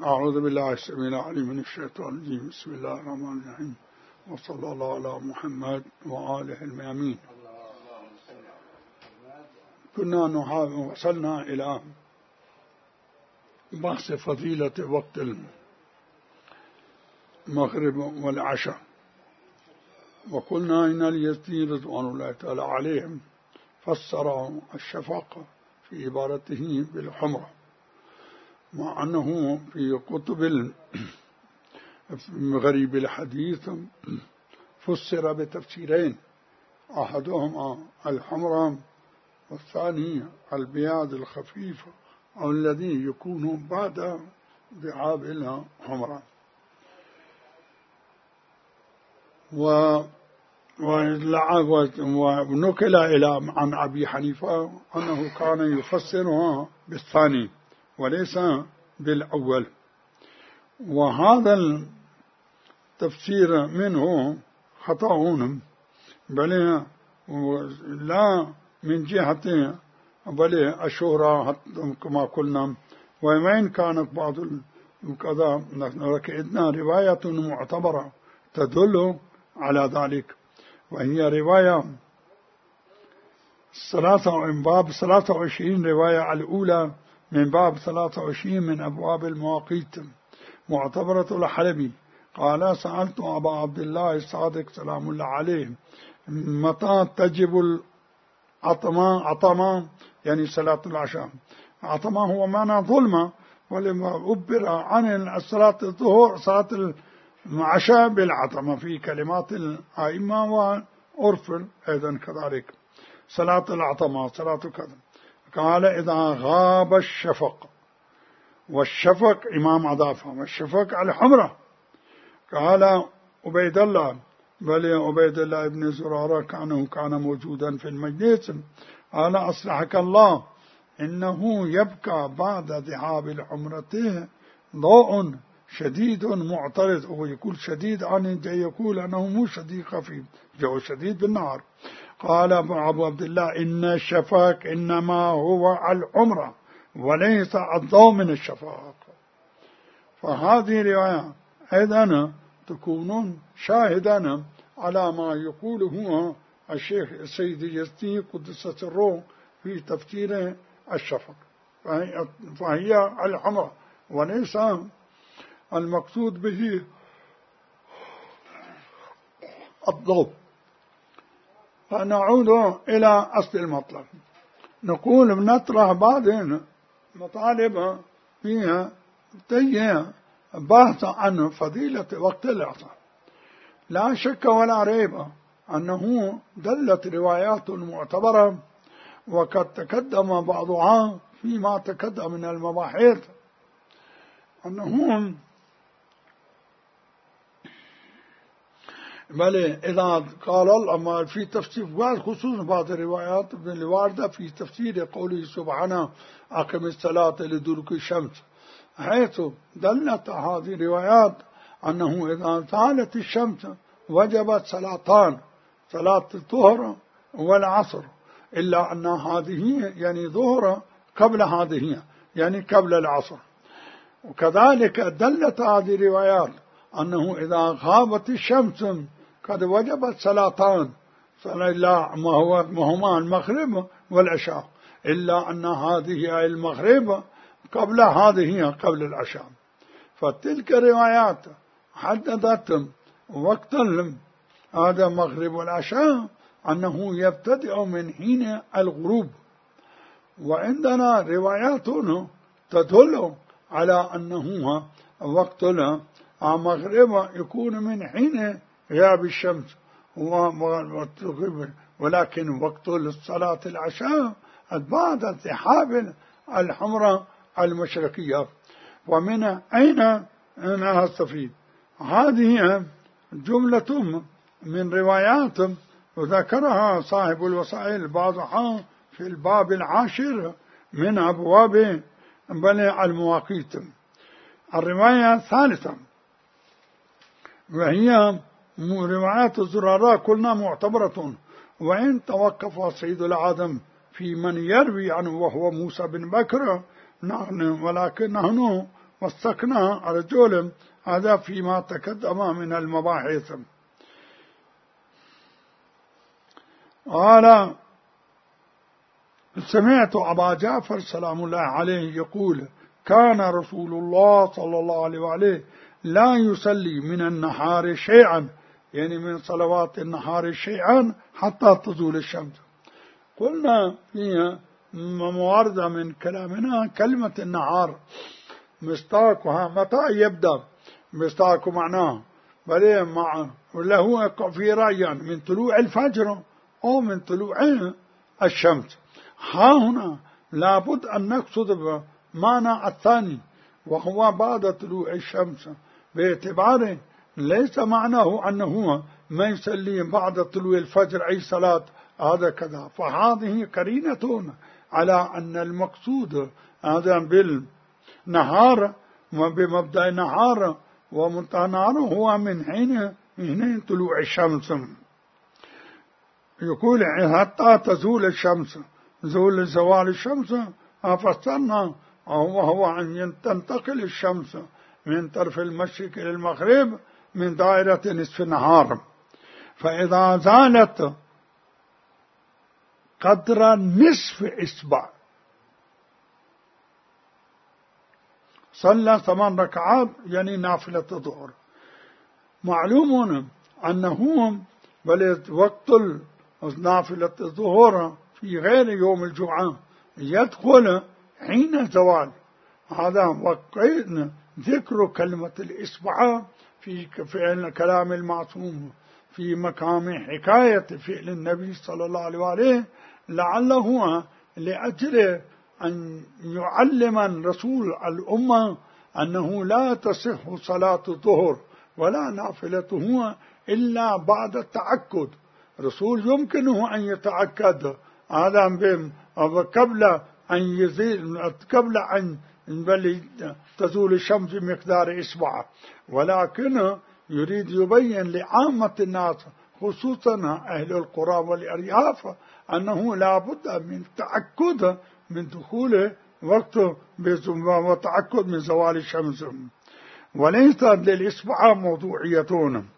أعوذ بالله السميع العليم من الشيطان الرجيم. بسم الله الرحمن الرحيم، وصلى الله على محمد وآله الميامين. كنا وصلنا إلى بحث فضيلة وقت المغرب والعشاء، وقلنا إن اليزيدي رضوان الله تعالى عليهم فسر الشفق في عبارته بالحمرة، مع أنه في كتب غريب الحديث فسر بتفسيرين، أحدهما الحمرة والثاني البياض الخفيف أو الذي يكون بعد ذهاب الحمرة. ونقل عن أبي حنيفة أنه كان يفسرها بالثاني وليس بالأول، وهذا التفسير منه خطأ، بل لا من جهة بل الشهرة كما قلنا، وإن كانت بعض كذا ركعتنا رواية معتبرة تدل على ذلك، وهي رواية من باب 23 رواية الأولى من باب 23 من أبواب المواقيت، معتبرة الحلبي قال: سألت أبا عبد الله الصادق سلام الله عليه متى تجب العطمة، يعني صلاة العشاء. عطمة هو معنى ظلمة، ولما عبر عن صلاة الظهر صلاة العشاء بالعطمة في كلمات الأئمة وعرف أيضا كذلك. صلاة العطمة صلاة كذا. قال: إذا غاب الشفق، والشفق إمام عضافة، والشفق على الحمرة. قال عبيد الله، بل عبيد الله بن زرارة كان موجودا في المجلس، قال: أصلحك الله، إنه يبقى بعد ذهاب الحمرة ضوء شديد معترض. هو يقول شديد عن يقول أنه مو شديد خفيف، جو شديد بالنهار. قال أبو عبد الله: إن الشفق إنما هو الحمرة وليس الضوء من الشفق. فهذه رواية أيضا تكون شاهدا على ما يقوله الشيخ السيد اليزيدي قدس سره في تفسير الشفق، فهي الحمرة وليس المقصود به الضوء. فنعود إلى أصل المطلب، نقول بنطرح بعض مطالب فيها تجي بحث عن فضيلة وقت العصر. لا شك ولا ريب أنه دلت روايات معتبرة، وقد تقدم بعضها فيما تقدم من المباحث، أنهم بل إذا قال الله في تفسير خصوصا بعض الروايات الواردة في تفسير قوله سبحانه: أقم الصلاة لدلوك الشمس، حيث دلت هذه الروايات أنه إذا زالت الشمس وجبت صلاتان، صلاة الظهر والعصر، إلا أن هذه يعني ظهر قبل هذه يعني قبل العصر. وكذلك دلت هذه الروايات أنه إذا غابت الشمس قد وجبت صلاتان، هما المغرب والعشاء، إلا أن هذه المغرب قبل هذه قبل العشاء. فتلك الروايات حددت وقت هذا المغرب والعشاء أنه يبتدئ من حين الغروب، وعندنا روايات تدل على أنه وقت المغرب يكون من حين غياب الشمس، ولكن وقت الصلاة العشاء بعد ذهاب الحمرة المشرقية. ومن أين نستفيد؟ هذه جملة من روايات وذكرها صاحب الوسائل بعضها في الباب 10 من أبواب المواقيت. الرواية الثالثة وهي روايات الزرارة كلنا معتبرة، وإن توقف سيد العالم في من يروي عنه وهو موسى بن بكر ولكن نحن وثقناه على جولم. هذا فيما تقدم من المباحث. قال سمعت أبا جعفر سلام الله عليه يقول كان رسول الله صلى الله عليه وآله لا يصلي من النهار شيئا، يعني من صلوات النهار شيئا حتى تزول الشمس. قلنا فيها مواردة من كلامنا كلمة النهار مستاقها متى يبدأ، مستاق معناه بل مع له في رأيان من طلوع الفجر أو من طلوع الشمس. ها هنا لابد أن نقصد بمعنى الثاني وهو بعد طلوع الشمس، باعتباره ليس معناه أنه ما يصلي بعد طلوع الفجر أي صلاة هذا كذا. فهذه قرينة على أن المقصود هذا بالنهار وبمبدأ النهار ومنتهى النهار هو من حين طلوع الشمس. يقول حتى تزول الشمس، زوال الشمس فسرنا وهو أن تنتقل الشمس من طرف المشرق إلى المغرب من دائرة نصف النهار، فإذا زالت قدر نصف إصبع صلى 8 ركعات يعني نافلة الظهر. معلوم أنه بل وقت نافلة الظهر في غير يوم الجمعة يدخل حين الزوال. هذا وقت ذكر كلمة الإصبع في الكلام المعصوم في مقام حكاية فعل النبي صلى الله عليه وآله، لعله لأجل أن يعلم الرسول الأمة أنه لا تصح صلاة الظهر ولا نافلته إلا بعد التأكد. رسول يمكنه أن يتأكد هذا قبل أن يزيل، قبل أن تزول الشمس بمقدار إصبع، ولكن يريد يبين لعامة الناس خصوصا أهل القرى والأرياف أنه لا بد من تأكد من دخول وقت وتأكد من زوال الشمس، وليس للإصبع موضوعيتون.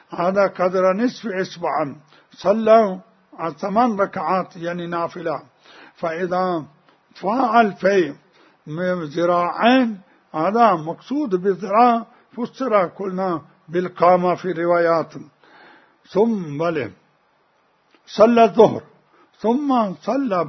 هذا قدر نصف إصبع صلى 8 ركعات يعني نافلة. فإذا فعل في ذراعين هذا مقصود بالذراع فسر كلنا بالقامة في روايات. ثم صلى الظهر ثم صلى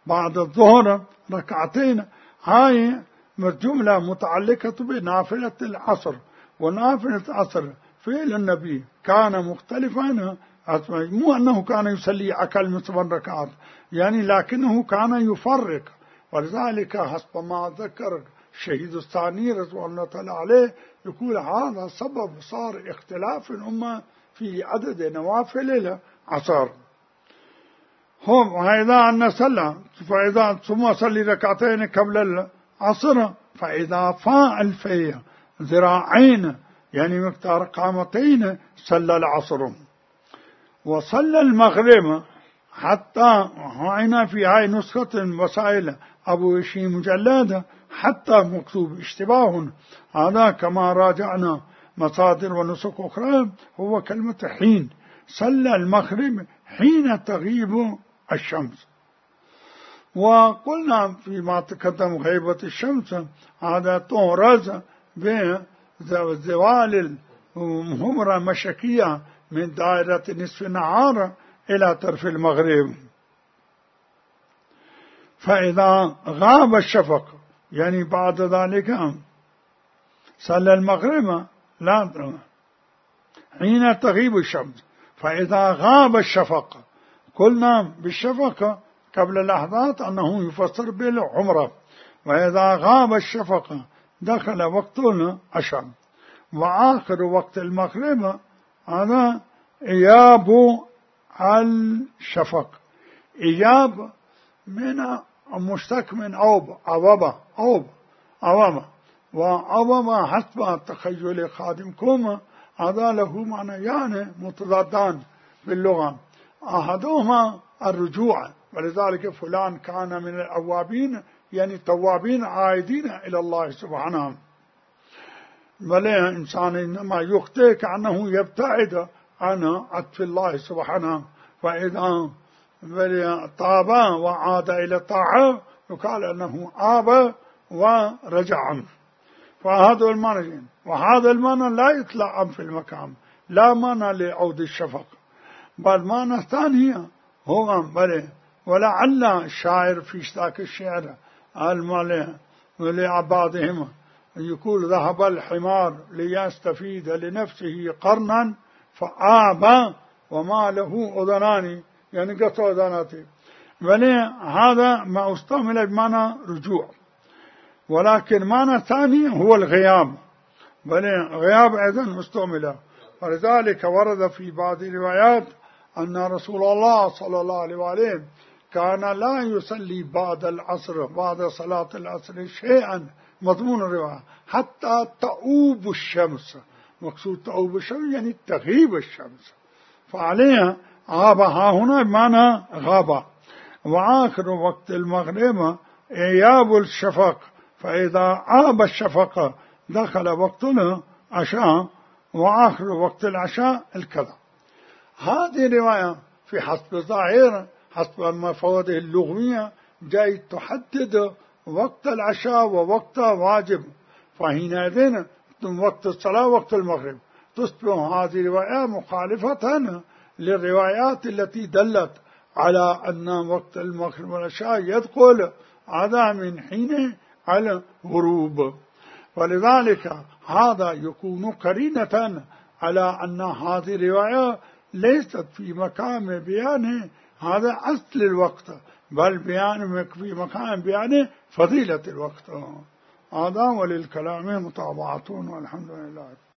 بعد الظهر ركعتين. هاي جملة متعلقة بنافلة العصر، ونافلة العصر فعل النبي كان مختلفا، مو أنه كان يصلي أقل من 8 ركعات يعني، لكنه كان يفرق. ولذلك حسب ما ذكر الشهيد الثاني رضوان الله تعالى عليه يقول هذا سبب صار اختلاف الأمة في عدد نوافل العصر. هم وإذا أن صلى فإذا ثم صلي ركعتين قبل العصر فإذا فاعل في ذراعين يعني مقدار قامتين صلى العصر. وصلى المغرب حتى هنا في هاي نسخة وسائل أبو هشيم مجلد حتى مكتوب اشتباه، هذا كما راجعنا مصادر ونسخ أخرى هو كلمة حين. صلى المغرب حين تغيب الشمس. وقلنا فيما تقدم غيبة الشمس هذا تورز بزوال الهمرة المشرقية من دائرة نصف النهار إلى طرف المغرب. فإذا غاب الشفق يعني بعد ذلك صلى المغرب لا حين تغيب الشمس. فإذا غاب الشفق قلنا بالشفق قبل لحظات أنه يفسر بالعمرة، وإذا غاب الشفق دخل وقت العشاء. وآخر وقت المغرب هذا إياب الشفق. إياب من مشتق من أوب وأوبة حسب تخيل خادمكم هذا له معنيان متضادان باللغة. أحدهما الرجوع، ولذلك فلان كان من الأوابين يعني توابين عائدين إلى الله سبحانه. بل إنسان إنما يخطئ كأنه يبتعد عن عطف الله سبحانه، فإذا طاب وعاد إلى الطاعة يقال أنه آب ورجع عنه. فهذا المعنى، وهذا المعنى لا يطلع في المكان، لا معنى لعود الشفق، بل معنى ثانية هو ولعل الشاعر في ذاك الشعر لعبادهم يقول ذهب الحمار ليستفيد لنفسه قرنا فآب وما له أذنان، يعني قطع أذناته. هذا ما استعمل بمعنى رجوع، ولكن معنى ثاني هو الغياب، غياب أيضا استعمل. ولذلك ورد في بعض الروايات أن رسول الله صلى الله عليه وآله كان لا يصلي بعد العصر، بعد صلاة العصر شيئا، مضمون الرواية، حتى تؤوب الشمس. مقصود تؤوب الشمس يعني تغيب الشمس، فعليها غاب ها هنا بمعنى غاب. وآخر وقت المغرب إياب الشفق، فإذا عاب الشفق دخل وقت العشاء، وآخر وقت العشاء الكذا. هذه الرواية في حسب الظاهر، حسب المفاده اللغوية، جاي تحدد وقت العشاء ووقت واجب، فحينئذ وقت الصلاة وقت المغرب. تصبح هذه الرواية مخالفة للروايات التي دلت على أن وقت المغرب والعشاء يدخل هذا من حين على الغروب. ولذلك هذا يكون قرينة على أن هذه الرواية ليست في مقام بيان هذا أصل الوقت، بل في مقام بيان فضيلة الوقت. هذا وللكلام متابعة، والحمد لله.